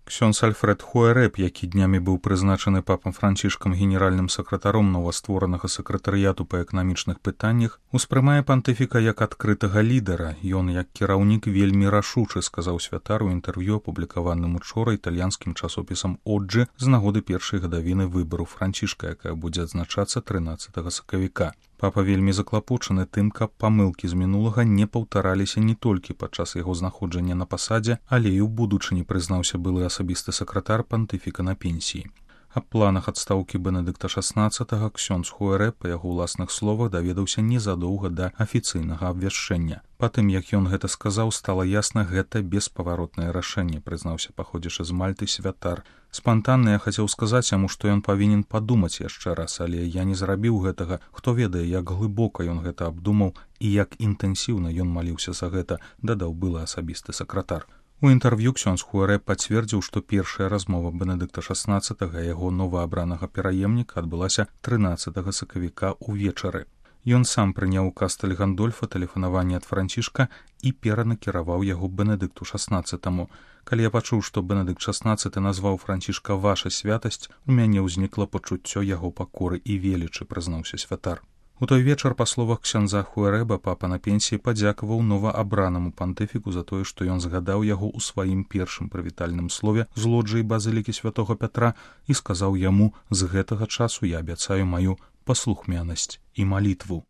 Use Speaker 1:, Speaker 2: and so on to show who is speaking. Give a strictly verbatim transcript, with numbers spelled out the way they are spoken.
Speaker 1: Ксёндз Альфред Хуэрэб, які днямі быў прызначаны папам Францішкам генеральным сакратаром новастворанага сакратарыяту па эканамічных пытаннях, успрымае пантыфіка як адкрытага лідара. Ён, як кіраўнік, вельмі рашучы, сказаў святар у інтэрв'ю, апублікаваным учора італьянскім часопісам «Оджы» з нагоды першай гадавіны выбару Францішка, якая будзе адзначацца трынаццатага сакавіка. Папа вельмі заклапочаны тым, каб памылкі з мінулага не паўтараліся не толькі падчас яго знаходжання на пасадзе, але і ў будучыні, прызнаўся былы асабісты сакратар пантыфіка на пенсіі. Аб планах адстаўкі Бенедыкта шаснаццатага ксёндз Хуэрэб, па яго ўласных словах, даведаўся незадоўга да афіцыйнага абвяшчэння. Па тым, як ён гэта сказаў, стала ясна, гэта беспаваротнае рашэнне, прызнаўся паходзячы з Мальты святар. Спантанна я хацеў сказаць яму, што ён павінен падумаць яшчэ раз, але я не зрабіў гэтага. Хто ведае, як глыбока ён гэта абдумаў і як інтэнсіўна ён маліўся за гэта, дадаў былы асабісты сакратар. У інтэрв'ю ксёндз Хуэрэб пацвердзіў, што першая размова Бенедыкта шаснаццатага яго новаабранага пераемніка адбылася трынаццатага сакавіка ўвечары. Ён сам прыняў у Кастэль Гандольфа тэлефанаванне ад Францішка і перанакіраваў яго Бенедыкту шаснаццатаму. Калі я пачуў, што Бенедыкт шаснаццаты назваў Францішка «Ваша святасць», у мяне ўзнікла пачуццё яго пакоры і велічы, прызнаўся святар. У той вечар, па словах ксяндза Хуэрэба, папа на пенсіі падзякаваў новаабранаму пантыфіку за тое, што ён згадаў яго ў сваім першым прывітальным слове з лоджыі базылікі святога Пятра і сказаў яму: «З гэтага часу я абяцаю маю паслухмянасць і малітву».